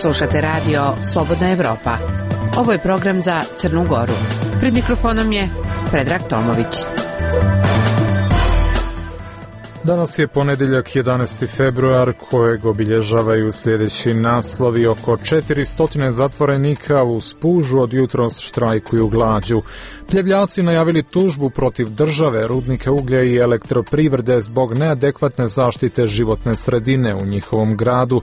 Slušate radio Slobodna Evropa. Ovo je program za Crnu Goru. Pred mikrofonom je Predrag Tomović. Danas je ponedjeljak 11. februar kojeg obilježavaju sljedeći naslovi. Oko 400 zatvorenika u Spužu od jutros štrajkuju glađu. Pljevljaci najavili tužbu protiv države, rudnika uglja i elektroprivrede zbog neadekvatne zaštite životne sredine u njihovom gradu.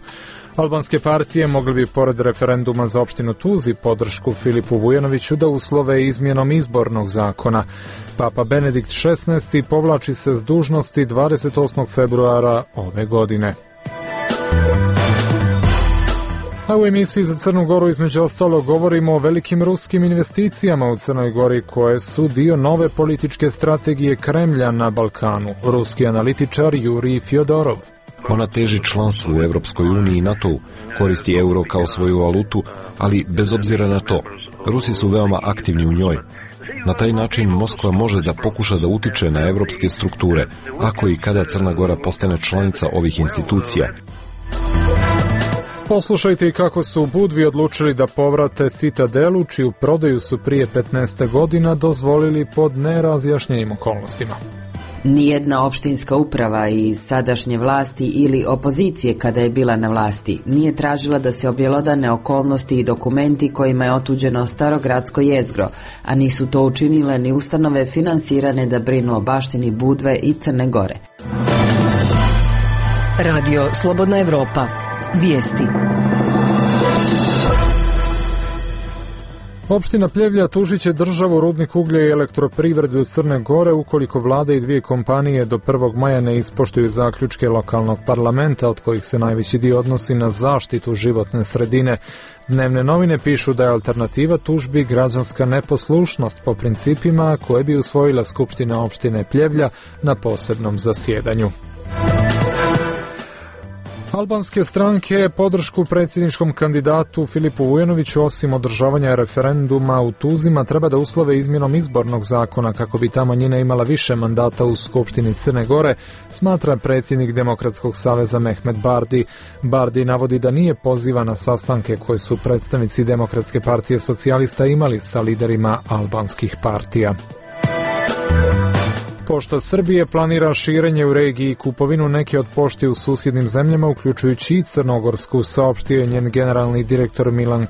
Albanske partije mogli bi pored referenduma za opštinu Tuzi podršku Filipu Vujanoviću da uslove izmjenom izbornog zakona. Papa Benedikt XVI povlači se s dužnosti 28. februara ove godine. A u emisiji za Crnu Goru između ostalo govorimo o velikim ruskim investicijama u Crnoj Gori koje su dio nove političke strategije Kremlja na Balkanu. Ruski analitičar Jurij Fjodorov. Ona teži članstvu u Europskoj uniji i NATO-u, koristi euro kao svoju valutu, ali bez obzira na to, Rusi su veoma aktivni u njoj. Na taj način Moskva može da pokuša da utiče na evropske strukture, ako i kada Crna Gora postane članica ovih institucija. Poslušajte i kako su u Budvi odlučili da povrate Citadelu, čiju prodaju su prije 15 godina dozvolili pod nerazjašnjenim okolnostima. Nijedna opštinska uprava iz sadašnje vlasti ili opozicije kada je bila na vlasti nije tražila da se objelodane okolnosti i dokumenti kojima je otuđeno starogradsko jezgro, a nisu to učinile ni ustanove finansirane da brinu o baštini Budve i Crne Gore. Radio Slobodna Evropa. Vijesti. Opština Pljevlja tužit će državu, rudnik uglja i elektroprivredu Crne Gore ukoliko vlada i dvije kompanije do 1. maja ne ispoštuju zaključke lokalnog parlamenta, od kojih se najveći dio odnosi na zaštitu životne sredine. Dnevne novine pišu da je alternativa tužbi građanska neposlušnost po principima koje bi usvojila Skupština opštine Pljevlja na posebnom zasjedanju. Albanske stranke podršku predsjedničkom kandidatu Filipu Vujanoviću osim održavanja referenduma u Tuzima treba da uslove izmjenom izbornog zakona kako bi ta manjina imala više mandata u Skupštini Crne Gore, smatra predsjednik Demokratskog saveza Mehmet Bardi. Bardi navodi da nije pozivan na sastanke koje su predstavnici Demokratske partije socijalista imali sa liderima albanskih partija. Pošta Srbije planira širenje u regiji i kupovinu neke od pošti u susjednim zemljama, uključujući i crnogorsku, saopštio je njen generalni direktor Milan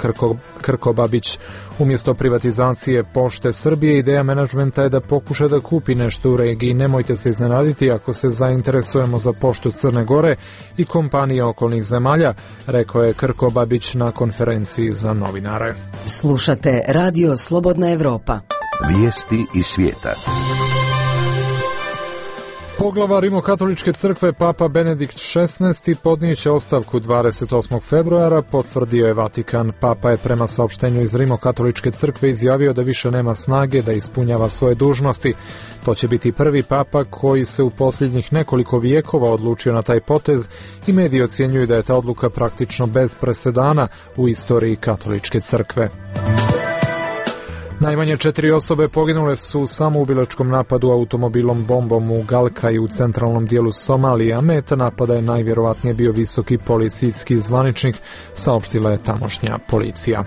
Krkobabić. Umjesto privatizacije Pošte Srbije, ideja menadžmenta je da pokuša da kupi nešto u regiji. Nemojte se iznenaditi ako se zainteresujemo za Poštu Crne Gore i kompanije okolnih zemalja, rekao je Krkobabić na konferenciji za novinare. Slušate Radio Slobodna Evropa. Vijesti iz svijeta. Poglavar Rimokatoličke crkve Papa Benedikt XVI podnijeće ostavku 28. februara, potvrdio je Vatikan. Papa je prema saopštenju iz Rimokatoličke crkve izjavio da više nema snage da ispunjava svoje dužnosti. To će biti prvi papa koji se u posljednjih nekoliko vijekova odlučio na taj potez i mediji ocjenjuju da je ta odluka praktično bez presedana u istoriji katoličke crkve. Najmanje 4 osobe poginule su u samoubilačkom napadu automobilom bombom u Galkaju u centralnom dijelu Somalije, a meta napada je najvjerovatnije bio visoki policijski zvaničnik, saopštila je tamošnja policija.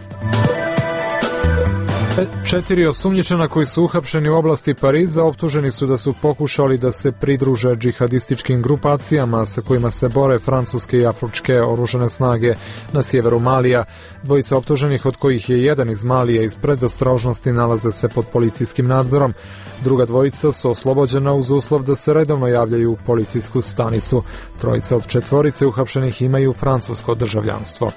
4 osumnjičena koji su uhapšeni u oblasti Pariza optuženi su da su pokušali da se pridruže džihadističkim grupacijama sa kojima se bore francuske i afričke oružane snage na sjeveru Malija. Dvojica optuženih, od kojih je jedan iz Malija, iz predostrožnosti nalaze se pod policijskim nadzorom. Druga dvojica su oslobođena uz uslov da se redovno javljaju u policijsku stanicu. Trojica od 4 uhapšenih imaju francusko državljanstvo.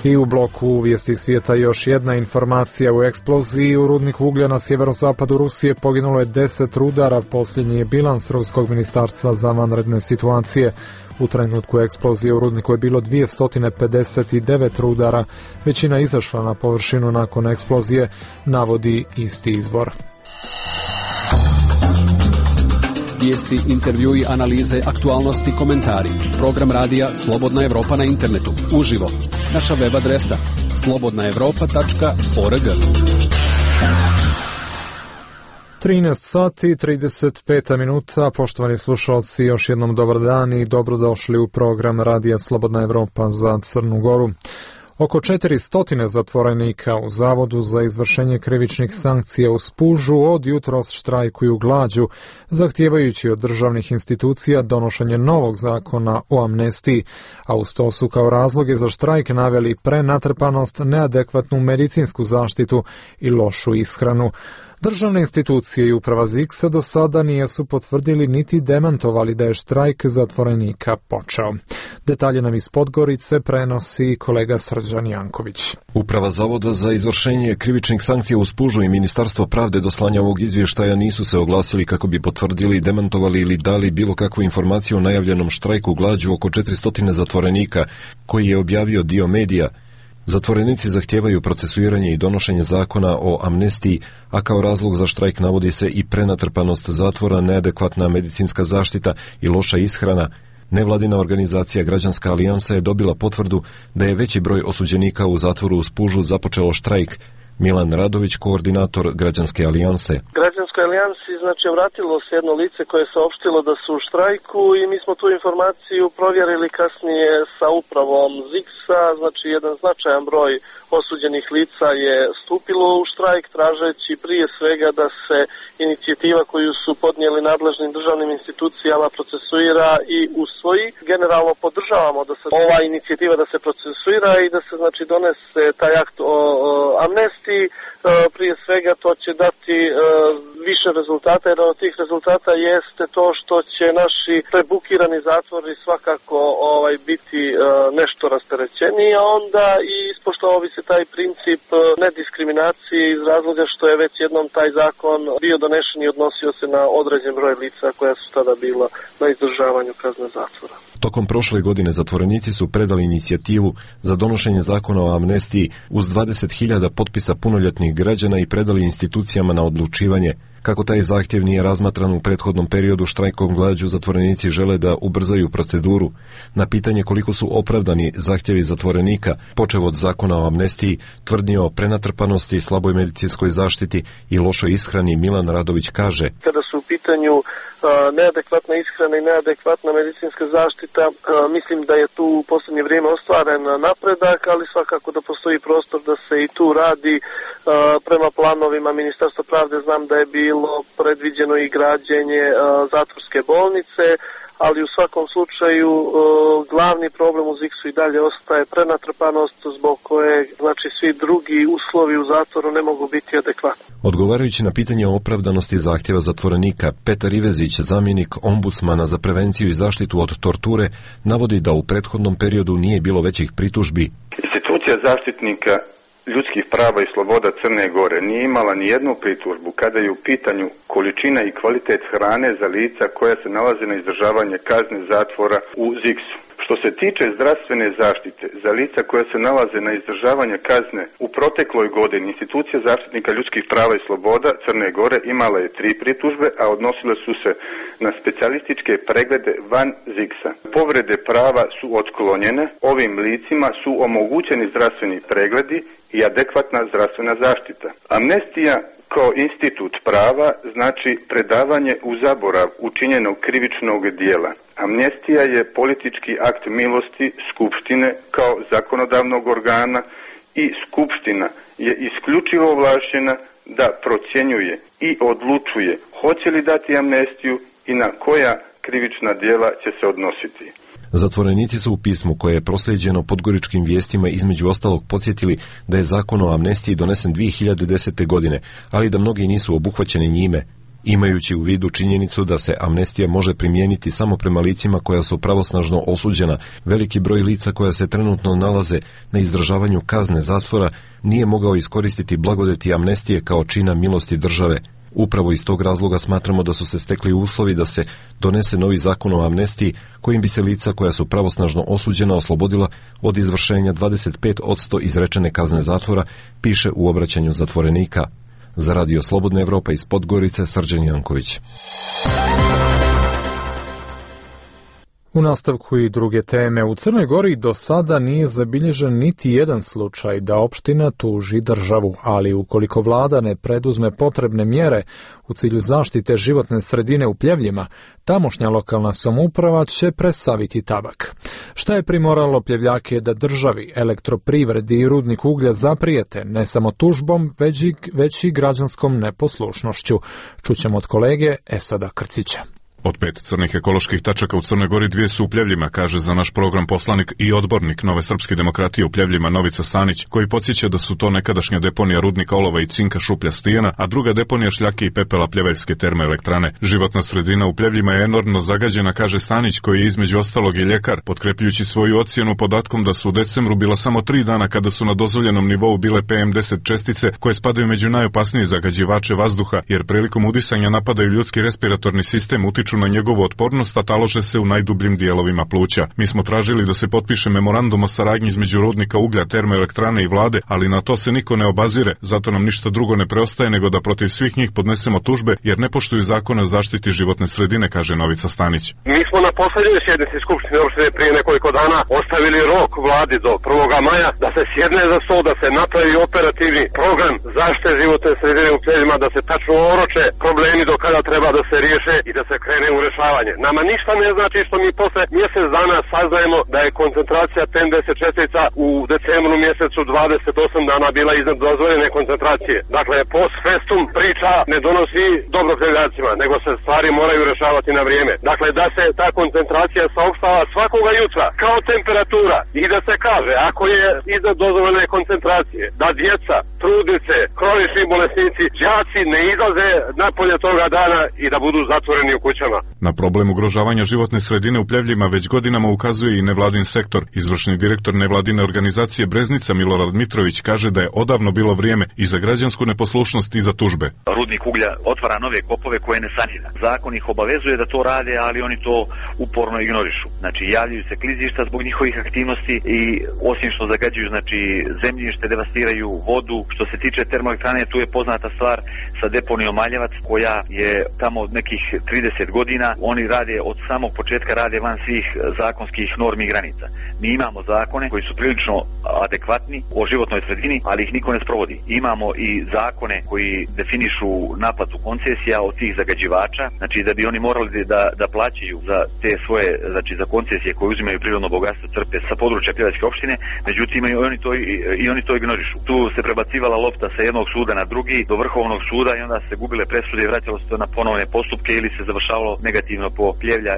I u bloku vijesti svijeta još jedna informacija. U eksploziji u rudniku uglja na sjeverozapadu Rusije poginulo je 10 rudara. Posljednji je bilans Ruskog ministarstva za vanredne situacije. U trenutku eksplozije u rudniku je bilo 259 rudara. Većina izašla na površinu nakon eksplozije, navodi isti izvor. Vijesti, intervjui, analize, aktualnosti, komentari. Program radija Slobodna Evropa na internetu. Uživo. Naša web adresa slobodnaevropa.org. 13 sati i 35 minuta, poštovani slušalci, još jednom dobar dan i dobrodošli u program Radija Slobodna Evropa za Crnu Goru. Oko 400 zatvorenika u Zavodu za izvršenje krivičnih sankcija u Spužu od jutros štrajkuju glađu, zahtijevajući od državnih institucija donošenje novog zakona o amnestiji, a uz to su kao razloge za štrajk naveli prenatrpanost, neadekvatnu medicinsku zaštitu i lošu ishranu. Državne institucije i uprava ZIKS-a do sada nisu potvrdili niti demantovali da je štrajk zatvorenika počeo. Detalje nam iz Podgorice prenosi kolega Srđan Janković. Uprava Zavoda za izvršenje krivičnih sankcija u Spužu i Ministarstvo pravde do slanja ovog izvještaja nisu se oglasili kako bi potvrdili, demantovali ili dali bilo kakvu informaciju o najavljenom štrajku glađu oko 400 zatvorenika koji je objavio dio medija. Zatvorenici zahtijevaju procesuiranje i donošenje zakona o amnestiji, a kao razlog za štrajk navodi se i prenatrpanost zatvora, neadekvatna medicinska zaštita i loša ishrana. Nevladina organizacija Građanska alijansa je dobila potvrdu da je veći broj osuđenika u zatvoru u Spužu započelo štrajk. Milan Radović, koordinator Građanske alijanse. Građanskoj alijansi vratilo se jedno lice koje je saopštilo da su u štrajku i mi smo tu informaciju provjerili kasnije sa upravom ZIKS-a, znači jedan značajan broj osuđenih lica je stupilo u štrajk tražeći prije svega da se inicijativa koju su podnijeli nadležnim državnim institucijama procesuira i usvoji. Generalno podržavamo da se ova inicijativa da se procesuira i da se znači donese taj akt o amnestiji. Prije svega to će dati više rezultata, jer od tih rezultata jeste to što će naši prebukirani zatvori svakako biti nešto rasterećeniji, a onda i ispoštovao bi se taj princip nediskriminacije iz razloga što je već jednom taj zakon bio donešen i odnosio se na određen broj lica koja su tada bila na izdržavanju kazne zatvora. Tokom prošle godine zatvorenici su predali inicijativu za donošenje zakona o amnestiji uz 20.000 potpisa punoljetnih građana i predali institucijama na odlučivanje. Kako taj zahtjev nije razmatran u prethodnom periodu štrajkom glađu, zatvorenici žele da ubrzaju proceduru. Na pitanje koliko su opravdani zahtjevi zatvorenika, počev od zakona o amnestiji, tvrdnje o prenatrpanosti, slaboj medicinskoj zaštiti i lošoj ishrani, Milan Radović kaže: kada su u pitanju neadekvatna ishrana i neadekvatna medicinska zaštita, mislim da je tu u posljednje vrijeme ostvaren napredak, ali svakako da postoji prostor da se i tu radi. Prema planovima Ministarstva pravde znam da je bilo predviđeno i građenje zatvorske bolnice, ali u svakom slučaju glavni problem u ZIKS-u i dalje ostaje prenatrpanost zbog koje znači svi drugi uslovi u zatvoru ne mogu biti adekvatni. Odgovarajući na pitanje o opravdanosti zahtjeva zatvorenika, Petar Ivezić, zamjenik ombudsmana za prevenciju i zaštitu od torture, navodi da u prethodnom periodu nije bilo većih pritužbi. Institucija zaštitnika ljudskih prava i sloboda Crne Gore nije imala ni jednu pritužbu kada je u pitanju količina i kvalitet hrane za lica koja se nalaze na izdržavanje kazne zatvora u ZIKS-u. Što se tiče zdravstvene zaštite za lica koja se nalaze na izdržavanje kazne, u protekloj godini institucija zaštitnika ljudskih prava i sloboda Crne Gore imala je 3 pritužbe, a odnosile su se na specijalističke preglede van ZIKS-a. Povrede prava su otklonjene, ovim licima su omogućeni zdravstveni pregledi i adekvatna zdravstvena zaštita. Amnestija kao institut prava znači predavanje u zaborav učinjenog krivičnog dijela. Amnestija je politički akt milosti Skupštine kao zakonodavnog organa i Skupština je isključivo ovlašćena da procjenjuje i odlučuje hoće li dati amnestiju i na koja krivična djela će se odnositi. Zatvorenici su u pismu koje je proslijeđeno Podgoričkim vijestima između ostalog podsjetili da je zakon o amnestiji donesen 2010. godine, ali da mnogi nisu obuhvaćeni njime. Imajući u vidu činjenicu da se amnestija može primijeniti samo prema licima koja su pravosnažno osuđena, veliki broj lica koja se trenutno nalaze na izdržavanju kazne zatvora nije mogao iskoristiti blagodeti amnestije kao čina milosti države. Upravo iz tog razloga smatramo da su se stekli uslovi da se donese novi zakon o amnestiji kojim bi se lica koja su pravosnažno osuđena oslobodila od izvršenja 25% izrečene kazne zatvora, piše u obraćanju zatvorenika. Za Radio Slobodna Evropa iz Podgorice, Srđan Janković. U nastavku i druge teme. U Crnoj Gori do sada nije zabilježen niti jedan slučaj da opština tuži državu, ali ukoliko vlada ne preduzme potrebne mjere u cilju zaštite životne sredine u Pljevljima, tamošnja lokalna samouprava će presaviti tabak. Šta je primoralo Pljevljake da državi, elektroprivredi i rudnik uglja zaprijete ne samo tužbom, već i građanskom neposlušnošću? Čućemo od kolege Esada Krcića. Od 5 crnih ekoloških tačaka u Crnoj Gori 2 su u Pljevljima, kaže za naš program poslanik i odbornik Nove srpske demokratije u Pljevljima Novica Stanić, koji podsjeća da su to nekadašnja deponija rudnika olova i cinka Šuplja Stijena, a druga deponija šljake i pepela Pljeveljske termoelektrane. Životna sredina u Pljevljima je enormno zagađena, kaže Stanić, koji je između ostalog i ljekar, potkrepljujući svoju ocjenu podatkom da su u decembru bila samo 3 dana kada su na dozvoljenom nivou bile PM10 čestice koje spadaju među najopasnije zagađivače vazduha, jer prilikom udisanja napadaju ljudski respiratorni sistem, utiču na njegovu otpornost, a talože se u najdubljim dijelovima pluća. Mi smo tražili da se potpiše memorandum o saradnji između rudnika uglja, termoelektrane i vlade, ali na to se niko ne obazire, zato nam ništa drugo ne preostaje nego da protiv svih njih podnesemo tužbe, jer ne poštuju zakone o zaštiti životne sredine, kaže Novica Stanić. Mi smo na poslednjoj sjednici Skupštine opštine prije nekoliko dana ostavili rok vladi do 1. maja da se sjedne za stol, da se napravi operativni program zaštite životne sredine u Pljevljima, da se tačno oroče problemi do kada treba da se riješe i da se krene u rešavanje. Nama ništa ne znači što mi posle mjesec dana saznajemo da je koncentracija PM10 čestica u decembru mjesecu 28 dana bila iznad dozvoljene koncentracije. Dakle, post festum priča ne donosi dobro Pljevljacima, nego se stvari moraju rešavati na vrijeme. Dakle, da se ta koncentracija saopštava svakoga jutra kao temperatura i da se kaže ako je iznad dozvoljene koncentracije, da djeca, trudnice, kronični bolesnici, đaci ne izlaze napolje toga dana i da budu zatvoreni u kućama. Na problem ugrožavanja životne sredine u Pljevljima već godinama ukazuje i nevladin sektor. Izvršni direktor nevladine organizacije Breznica Milorad Mitrović kaže da je odavno bilo vrijeme i za građansku neposlušnost i za tužbe. Rudnik uglja otvara nove kopove koje ne sanira. Zakon ih obavezuje da to rade, ali oni to uporno ignorišu. Znači, javljaju se klizišta zbog njihovih aktivnosti i osim što zagađuju, znači, zemljište, devastiraju vodu. Što se tiče termoelektrane, tu je poznata stvar sa deponijom Maljevac, koja je tamo od nekih 30 godina. Oni rade od samog početka rade van svih zakonskih normi i granica. Mi imamo zakone koji su prilično adekvatni o životnoj sredini, ali ih niko ne sprovodi. Imamo i zakone koji definišu naplatu koncesija od tih zagađivača, znači da bi oni morali da plaćaju za te svoje, znači za koncesije koje uzimaju prirodno bogatstvo, crpe sa područja Pljeveljske opštine, međutim oni to ignorišu. Tu se prebacivala lopta sa jednog suda na drugi do Vrhovnog suda i onda se gubile presude i vraćalo se to na ponovne postupke ili se završavalo negativno po Pljevlja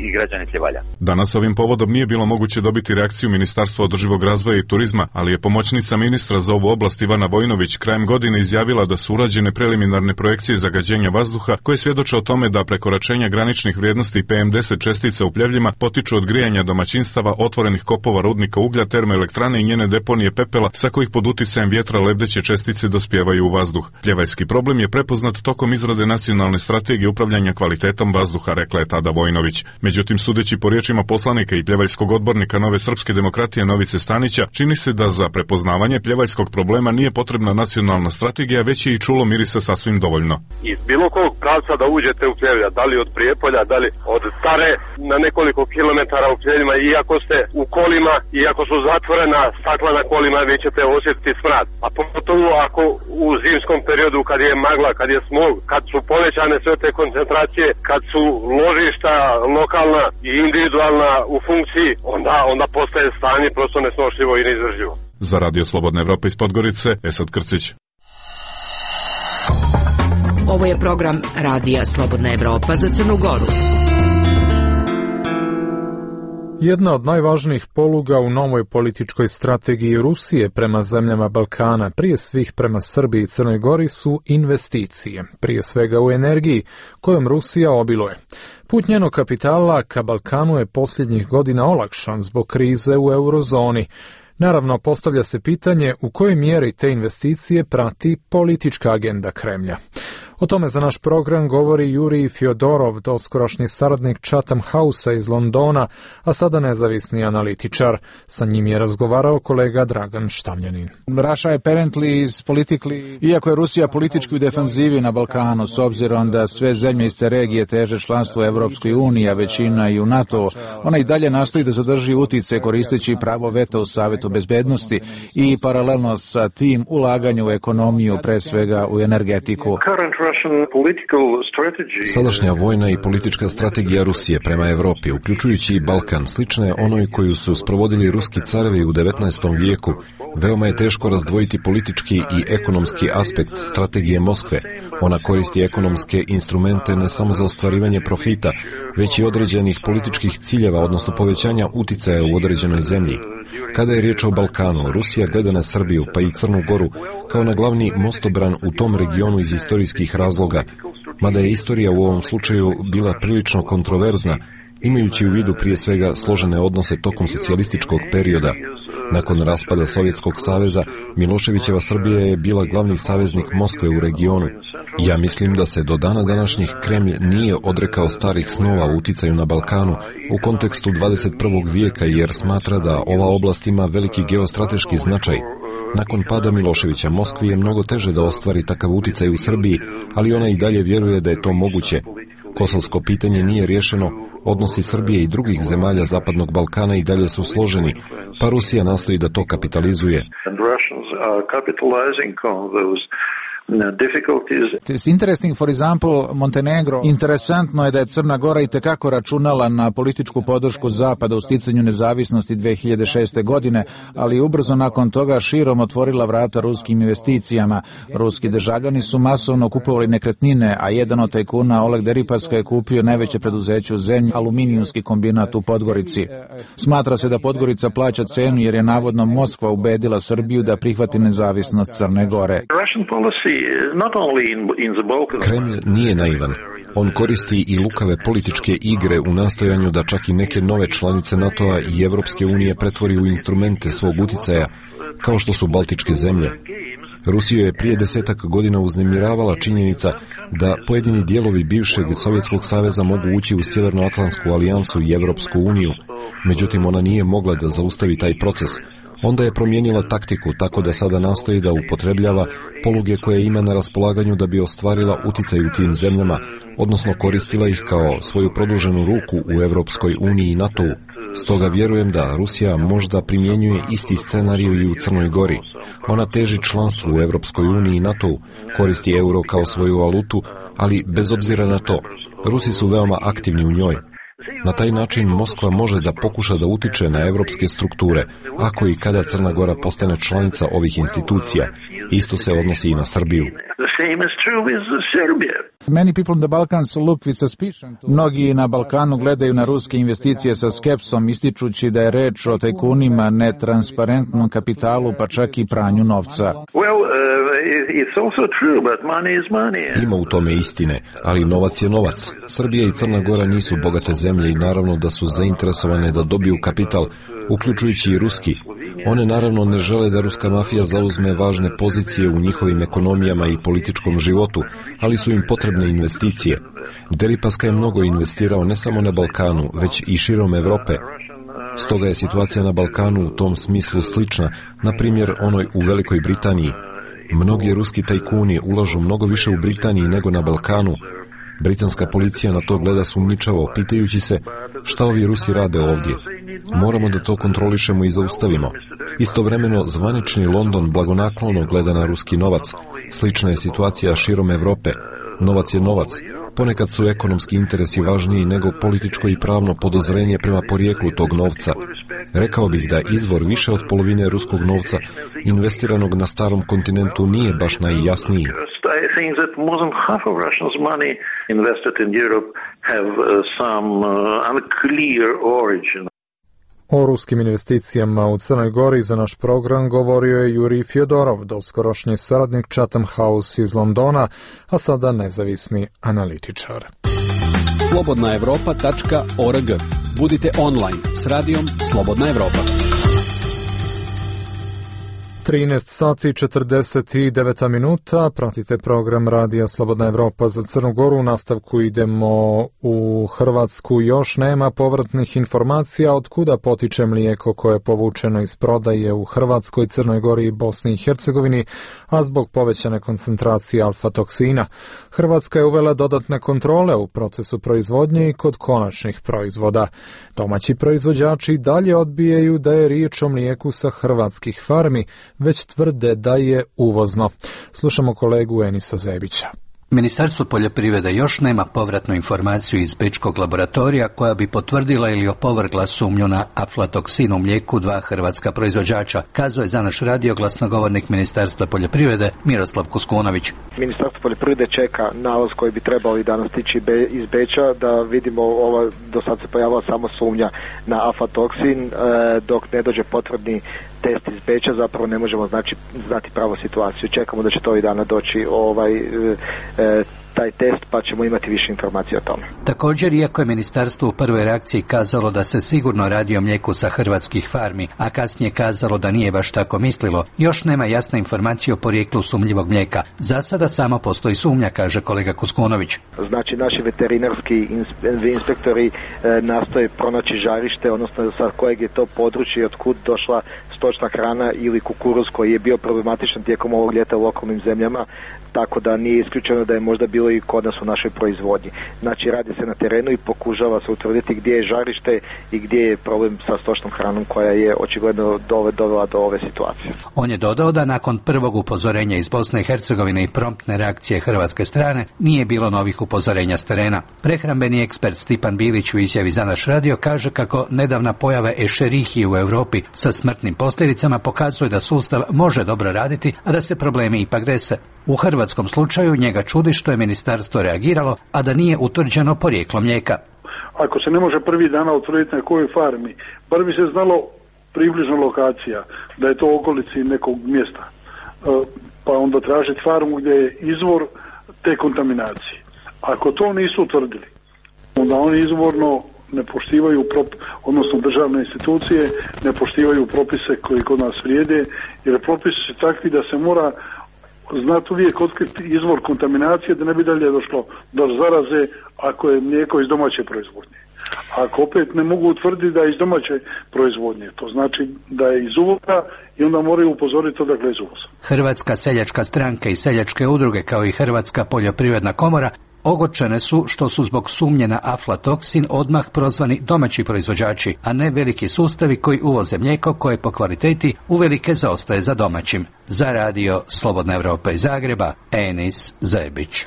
i građane Pljevalja. Danas ovim povodom nije bilo moguće dobiti reakciju Ministarstva održivog razvoja i turizma, ali je pomoćnica ministra za ovu oblast Ivana Vojnović krajem godine izjavila da su urađene preliminarne projekcije zagađenja vazduha koje svjedoče o tome da prekoračenja graničnih vrijednosti PM10 čestica u Pljevljima potiču od grijanja domaćinstava, otvorenih kopova rudnika uglja, termoelektrane i njene deponije pepela sa kojih pod uticajem vjetra lebdeće čestice dospijevaju u vazduh. Pljevaljski problem je prepoznat tokom izrade nacionalne strategije upravljanja kvalitetom vazduha, rekla je tada Vojnović. Međutim, sudeći po riječima poslanika i pljevaljskog odbornika Nove srpske demokratije Novice Stanića, čini se da za prepoznavanje pljevaljskog problema nije potrebna nacionalna strategija, već je i čulo mirisa sasvim dovoljno. Iz bilo kog pravca da uđete u Pljevlja, da li od Prijepolja, da li od Stare na nekoliko kilometara u Pljevljima, iako ste u kolima, iako su zatvorena stakla na kolima, vi ćete osjetiti smrad. A pogotovo ako u zimskom periodu kad je magla, kad je smog, kad su povećane sve te koncentracije, kad su ložišta lokalna i individualna u funkciji, onda postaje stanje prosto nesnošljivo i neizdrživo. Za Radio Slobodna Evropa iz Podgorice, Esad Krcić. Ovo je program Radija Slobodna Evropa za Crnu Goru. Jedna od najvažnijih poluga u novoj političkoj strategiji Rusije prema zemljama Balkana, prije svih prema Srbiji i Crnoj Gori, su investicije, prije svega u energiji, kojom Rusija obiluje. Put njenog kapitala ka Balkanu je posljednjih godina olakšan zbog krize u eurozoni. Naravno, postavlja se pitanje u kojoj mjeri te investicije prati politička agenda Kremlja. O tome za naš program govori Jurij Fjodorov, doskorašnji saradnik Chatham Housea iz Londona, a sada nezavisni analitičar. Sa njim je razgovarao kolega Dragan Štamljanin. Iako je Rusija politički u defanzivi na Balkanu, s obzirom da sve zemlje iz te regije teže članstvo u Evropskoj uniji, a većina i u NATO, ona i dalje nastoji da zadrži uticaj koristeći pravo veta u Savetu bezbednosti i paralelno sa tim ulaganje u ekonomiju, pre svega u energetiku. Sadašnja vojna i politička strategija Rusije prema Evropi, uključujući i Balkan, slična je onoj koju su sprovodili ruski carevi u 19. vijeku. Veoma je teško razdvojiti politički i ekonomski aspekt strategije Moskve. Ona koristi ekonomske instrumente ne samo za ostvarivanje profita, već i određenih političkih ciljeva, odnosno povećanja uticaja u određenoj zemlji. Kada je riječ o Balkanu, Rusija gleda na Srbiju pa i Crnu Goru kao na glavni mostobran u tom regionu iz istorijskih razloga, mada je istorija u ovom slučaju bila prilično kontroverzna, imajući u vidu prije svega složene odnose tokom socijalističkog perioda. Nakon raspada Sovjetskog saveza, Miloševićeva Srbija je bila glavni saveznik Moskve u regionu. Ja mislim da se do dana današnjih Kremlj nije odrekao starih snova u uticaju na Balkanu u kontekstu 21. vijeka, jer smatra da ova oblast ima veliki geostrateški značaj. Nakon pada Miloševića, Moskvi je mnogo teže da ostvari takav uticaj u Srbiji, ali ona i dalje vjeruje da je to moguće. Kosovsko pitanje nije riješeno, odnosi Srbije i drugih zemalja Zapadnog Balkana i dalje su složeni, pa Rusija nastoji da to kapitalizuje. It's interesting, for example, Montenegro. Interesantno je da je Crna Gora itekako računala na političku podršku Zapada u sticanju nezavisnosti 2006. godine, ali ubrzo nakon toga širom otvorila vrata ruskim investicijama. Ruski državljani su masovno kupovali nekretnine, a jedan od tajkuna, Oleg Deripaska, je kupio najveće preduzeće u zemlji, aluminijumski kombinat u Podgorici. Smatra se da Podgorica plaća cenu jer je navodno Moskva ubedila Srbiju da prihvati nezavisnost Crne Gore. Kremlj nije naivan. On koristi i lukave političke igre u nastojanju da čak i neke nove članice NATO-a i Evropske unije pretvori u instrumente svog uticaja, kao što su Baltičke zemlje. Rusiju je prije 10 godina uznemiravala činjenica da pojedini dijelovi bivšeg Sovjetskog saveza mogu ući u Sjevernoatlantsku alijansu i Evropsku uniju, međutim ona nije mogla da zaustavi taj proces. Onda je promijenila taktiku tako da sada nastoji da upotrebljava poluge koje ima na raspolaganju da bi ostvarila uticaj u tim zemljama, odnosno koristila ih kao svoju produženu ruku u Evropskoj uniji i NATO-u. Stoga vjerujem da Rusija možda primjenjuje isti scenarij i u Crnoj Gori. Ona teži članstvu u Evropskoj uniji i NATO-u, koristi euro kao svoju valutu, ali bez obzira na to, Rusi su veoma aktivni u njoj. Na taj način Moskva može da pokuša da utiče na evropske strukture, ako i kada Crna Gora postane članica ovih institucija. Isto se odnosi i na Srbiju. Mnogi na Balkanu gledaju na ruske investicije sa skepsom, ističući da je reč o tajkunima, netransparentnom kapitalu, pa čak i pranju novca. Ima u tome istine, ali novac je novac. Srbija i Crna Gora nisu bogate zemlje i naravno da su zainteresovane da dobiju kapital, uključujući i ruski. One naravno ne žele da ruska mafija zauzme važne pozicije u njihovim ekonomijama i političkom životu, ali su im potrebne investicije. Deripaska je mnogo investirao ne samo na Balkanu, već i širom Evrope. Stoga je situacija na Balkanu u tom smislu slična, na primjer onoj u Velikoj Britaniji. Mnogi ruski tajkuni ulažu mnogo više u Britaniji nego na Balkanu. Britanska policija na to gleda sumnjičavo, pitajući se šta ovi Rusi rade ovdje. Moramo da to kontrolišemo i zaustavimo. Istovremeno, zvanični London blagonaklono gleda na ruski novac. Slična je situacija širom Evrope. Novac je novac. Ponekad su ekonomski interesi važniji nego političko i pravno podozrenje prema porijeklu tog novca. Rekao bih da izvor više od polovine ruskog novca investiranog na starom kontinentu nije baš najjasniji. O ruskim investicijama u Crnoj Gori za naš program govorio je Jurij Fjodorov, doskorošnji saradnik Chatham House iz Londona, a sada nezavisni analitičar. Slobodnaevropa.org. Budite online s radijom Slobodna Evropa. 13 sati i 49 minuta, pratite program Radija Slobodna Evropa za Crnu Goru. U nastavku idemo u Hrvatsku. Još nema povratnih informacija od kuda potiče mlijeko koje je povučeno iz prodaje u Hrvatskoj, Crnoj Gori i Bosni i Hercegovini, a zbog povećane koncentracije alfa-toksina. Hrvatska je uvela dodatne kontrole u procesu proizvodnje i kod konačnih proizvoda. Domaći proizvođači dalje odbijaju da je riječ o mlijeku sa hrvatskih farmi, već tvrde da je uvozno. Slušamo kolegu Enisa Zebića. Ministarstvo poljoprivrede još nema povratnu informaciju iz bečkog laboratorija koja bi potvrdila ili opovrgla sumnju na aflatoksin u mlijeku dva hrvatska proizvođača, kazao je za naš radio glasnogovornik Ministarstva poljoprivrede Miroslav Kuskunović. Ministarstvo poljoprivrede čeka nalaz koji bi trebali danas stići iz Beča da vidimo, do sad se pojavila samo sumnja na aflatoksin, dok ne dođe potvrdni test iz Beča zapravo ne možemo znati pravu situaciju. Čekamo da će to i dana doći taj test, pa ćemo imati više informacija o tome. Također, iako je ministarstvo u prvoj reakciji kazalo da se sigurno radi o mlijeku sa hrvatskih farmi, a kasnije kazalo da nije baš tako mislilo, još nema jasne informacije o porijeklu sumnjivog mlijeka. Za sada samo postoji sumnja, kaže kolega Kuskunović. Znači, naši veterinarski inspektori nastoje pronaći žarište, odnosno sa kojeg je to područje, od kud došla stočna hrana ili kukuruz koji je bio problematičan tijekom ovog ljeta u okolnim zemljama, tako da nije isključeno da je možda bilo i kod nas u našoj proizvodnji. Znači, radi se na terenu i pokušava se utvrditi gdje je žarište i gdje je problem sa stočnom hranom koja je očigledno dovela do ove situacije. On je dodao da nakon prvog upozorenja iz Bosne i Hercegovine i promptne reakcije hrvatske strane nije bilo novih upozorenja s terena. Prehrambeni ekspert Stipan Bilić u izjavi za naš radio kaže kako nedavna pojava Escherichie u Europi sa smrtnim posljedicama pokazuje da sustav može dobro raditi, a da se problemi ipak dese. U hrvatskom slučaju njega čudi što je ministarstvo reagiralo, a da nije utvrđeno porijeklo mlijeka. Ako se ne može prvi dana utvrditi na kojoj farmi, bar bi se znalo približno lokacija, da je to u okolici nekog mjesta, pa onda tražiti farmu gdje je izvor te kontaminacije. Ako to nisu utvrdili, onda oni izvorno ne poštivaju, odnosno državne institucije ne poštivaju propise koji kod nas vrijede, jer propisi su takvi da se mora znati uvijek otkriti izvor kontaminacije da ne bi dalje došlo do zaraze ako je mlijeko iz domaće proizvodnje. Ako opet ne mogu utvrditi da je iz domaće proizvodnje, to znači da je iz uvoza i onda moraju upozoriti odakle iz uvoza. Hrvatska seljačka stranka i seljačke udruge kao i Hrvatska poljoprivredna komora ogorčene su što su zbog sumnje na aflatoksin odmah prozvani domaći proizvođači, a ne veliki sustavi koji uvoze mlijeko koje po kvaliteti uvelike zaostaje za domaćim. Za radio Slobodna Evropa iz Zagreba, Enis Zebić.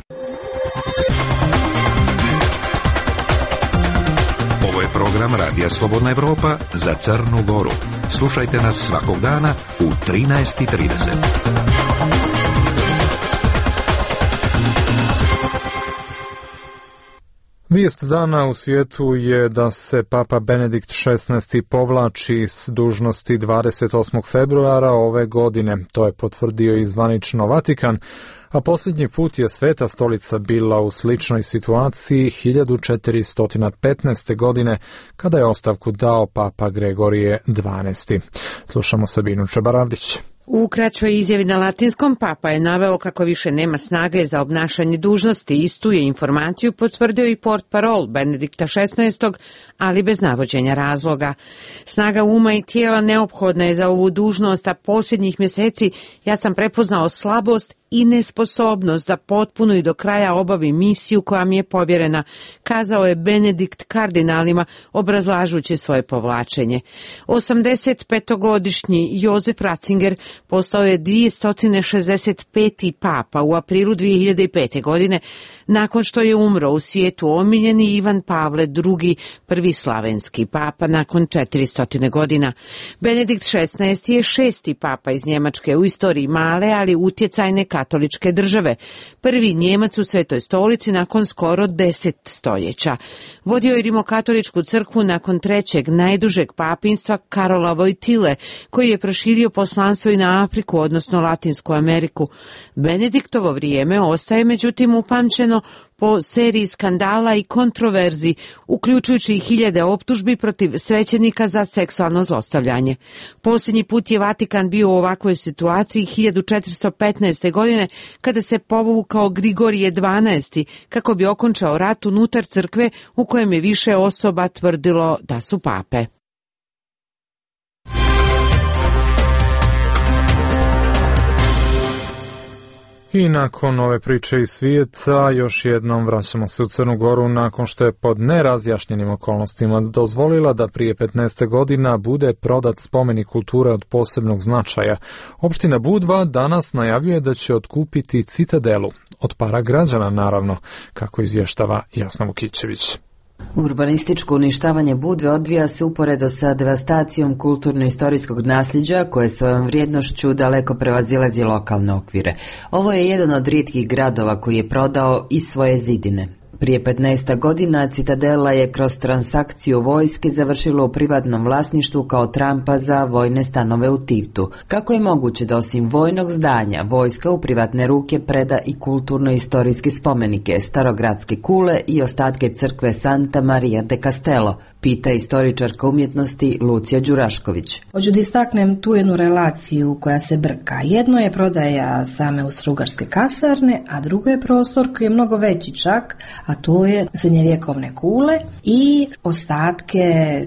Ovo je program Radija Slobodna Evropa za Crnu Goru. Slušajte nas svakog dana u 13:30. Vijest dana u svijetu je da se Papa Benedikt XVI povlači s dužnosti 28. februara ove godine. To je potvrdio i zvanično Vatikan, a posljednji put je Sveta stolica bila u sličnoj situaciji 1415. godine, kada je ostavku dao Papa Gregorije XII. Slušamo Sabinu Čebaravdić. U kraćoj izjavi na latinskom Papa je naveo kako više nema snage za obnašanje dužnosti. Istu je informaciju potvrdio i portparol Benedikta XVI, ali bez navođenja razloga. Snaga uma i tijela neophodna je za ovu dužnost, a posljednjih mjeseci ja sam prepoznao slabost i nesposobnost da potpuno i do kraja obavim misiju koja mi je povjerena, kazao je Benedikt kardinalima obrazlažući svoje povlačenje. 85-godišnji Josef Ratzinger postao je 265. papa u aprilu 2005. godine, nakon što je umro u svijetu omiljeni Ivan Pavle II, prvi slavenski papa nakon 400 godina. Benedikt XVI je 6. papa iz Njemačke u istoriji male, ali utjecajne katoličke države. Prvi Njemac u Svetoj stolici nakon skoro 10 stoljeća. Vodio je rimokatoličku crkvu nakon trećeg najdužeg papinstva Karola Vojtile, koji je proširio poslanstvo i na Afriku, odnosno Latinsku Ameriku. Benediktovo vrijeme ostaje međutim upamćeno po seriji skandala i kontroverzi, uključujući i hiljade optužbi protiv svećenika za seksualno zlostavljanje. Posljednji put je Vatikan bio u ovakvoj situaciji 1415. godine kada se povukao Grigorije XII kako bi okončao rat unutar crkve u kojem je više osoba tvrdilo da su pape. I nakon ove priče iz svijeta, još jednom vraćamo se u Crnu Goru nakon što je pod nerazjašnjenim okolnostima dozvolila da prije 15 godina bude prodat spomenik kulture od posebnog značaja. Opština Budva danas najavljuje da će otkupiti Citadelu, od para građana naravno, kako izvještava Jasna Vukićević. Urbanističko uništavanje Budve odvija se uporedo sa devastacijom kulturno-istorijskog nasljeđa koje svojom vrijednošću daleko prevazilazi lokalne okvire. Ovo je jedan od rijetkih gradova koji je prodao i svoje zidine. Prije 15 godina Citadela je kroz transakciju vojske završila u privatnom vlasništvu kao trampa za vojne stanove u Tivtu. Kako je moguće da osim vojnog zdanja vojska u privatne ruke preda i kulturno-istorijske spomenike, starogradske kule i ostatke crkve Santa Maria de Castello, pita istoričarka umjetnosti Lucija Đurašković. Hoću da istaknem tu jednu relaciju koja se brka. Jedno je prodaja same Austro-Ugarske kasarne, a drugo je prostor koji je mnogo veći čak, a to je srednjevjekovne kule i ostatke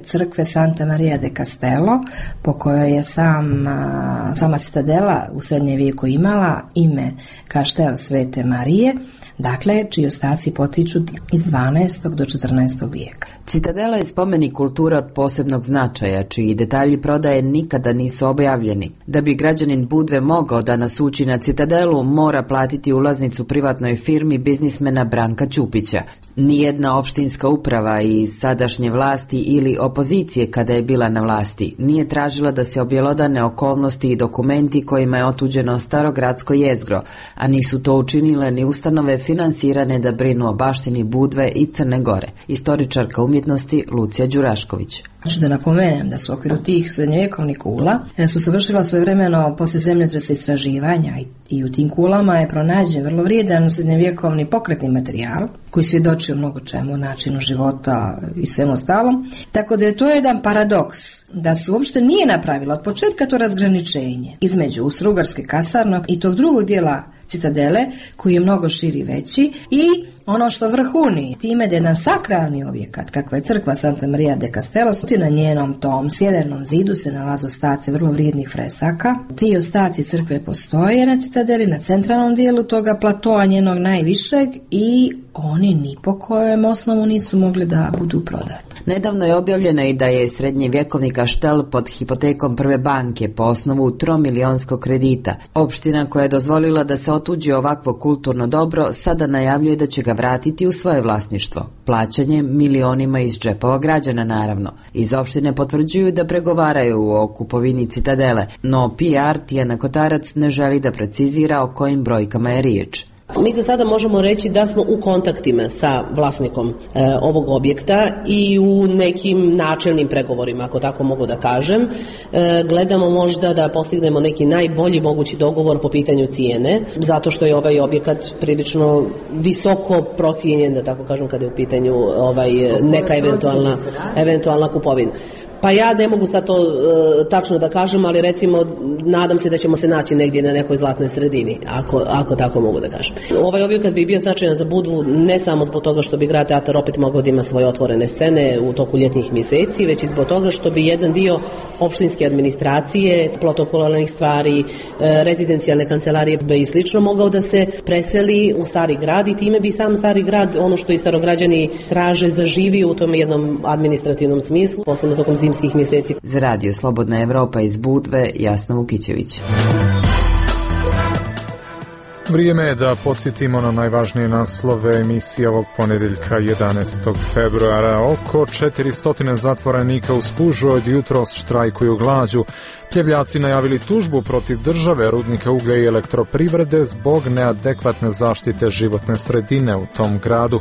crkve Santa Maria de Castello, po kojoj je sama Citadela u srednjem vijeku imala ime Kaštel Svete Marije, dakle, čiji ostaci potiču iz 12. do 14. vijeka. Citadela je spomenik kulture od posebnog značaja, čiji detalji prodaje nikada nisu objavljeni. Da bi građanin Budve mogao da nas ući na Citadelu, mora platiti ulaznicu privatnoj firmi biznismena Branka Ćupića. Nijedna opštinska uprava iz sadašnje vlasti ili opozicije kada je bila na vlasti nije tražila da se objelodane okolnosti i dokumenti kojima je otuđeno starogradsko jezgro, a nisu to učinile ni ustanove finansirane da brinu o baštini Budve i Crne Gore. Istoričarka umjetnosti Lucija Đurašković. Hoću da napomenem da su u okviru tih srednjevjekovnih kula su se vršila svojevremeno poslije zemljotresa istraživanja i u tim kulama je pronađen vrlo vrijedan srednjevjekovni pokretni materijal koji svjedoči o mnogo čemu, načinu života i svemu ostalom. Tako da je to jedan paradoks da se uopšte nije napravilo od početka to razgraničenje između Austro-Ugarske kasarne i tog drugog dijela Citadele koji je mnogo širi i veći i ono što vrhuni time da je jedan sakralni objekat kakva je crkva Santa Maria de Castello, na njenom tom sjevernom zidu se nalaze ostaci vrlo vrijednih fresaka. Ti ostaci crkve postoje na Citadeli, na centralnom dijelu toga platoa njenog najvišeg i oni ni po kojem osnovu nisu mogli da budu prodati. Nedavno je objavljeno i da je srednjevjekovni kaštel pod hipotekom Prve banke po osnovu 3-milionskog kredita. Opština koja je dozvolila da se otuđi ovakvo kulturno dobro sada najavljuje da će ga vratiti u svoje vlasništvo. Plaćanjem milionima iz džepova građana naravno. Iz opštine potvrđuju da pregovaraju o kupovini Citadele, no PR Tijana Kotarac ne želi da precizira o kojim brojkama je riječ. Mi za sada možemo reći da smo u kontaktima sa vlasnikom ovog objekta i u nekim načelnim pregovorima, ako tako mogu da kažem. Gledamo možda da postignemo neki najbolji mogući dogovor po pitanju cijene, zato što je ovaj objekat prilično visoko procijenjen, da tako kažem, kada je u pitanju neka eventualna kupovina. Pa ja ne mogu sad to tačno da kažem, ali recimo nadam se da ćemo se naći negdje na nekoj zlatnoj sredini, ako tako mogu da kažem. Ovaj objekat bi bio značajan za Budvu ne samo zbog toga što bi grad teatar opet mogao da ima svoje otvorene scene u toku ljetnih mjeseci, već i zbog toga što bi jedan dio opštinske administracije, protokolarnih stvari, rezidencijalne kancelarije i slično mogao da se preseli u stari grad i time bi sam stari grad, ono što i starograđani traže, zaživio u tom jednom administrativnom smislu, posebno tokom zimskih mjeseci. Za radio Slobodna Evropa iz Budve, Jasna Vukićević. Vrijeme je da podsjetimo na najvažnije naslove emisije ovog ponedjeljka 11. februara. Oko 400 zatvorenika u Spužu od jutros štrajkuju glađu. Pljevljaci najavili tužbu protiv države, rudnika uglja i elektroprivrede zbog neadekvatne zaštite životne sredine u tom gradu.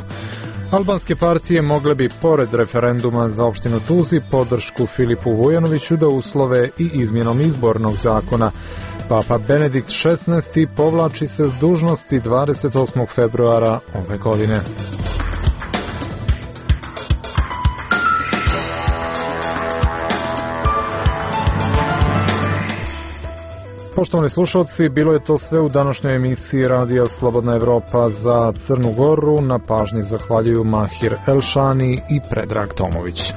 Albanske partije mogle bi, pored referenduma za opštinu Tuzli, podršku Filipu Vujanoviću da uslove i izmjenom izbornog zakona. Papa Benedikt XVI povlači se s dužnosti 28. februara ove godine. Poštovani slušalci, bilo je to sve u današnjoj emisiji Radija Slobodna Evropa za Crnu Goru. Na pažnji zahvaljuju Mahir Elšani i Predrag Tomović.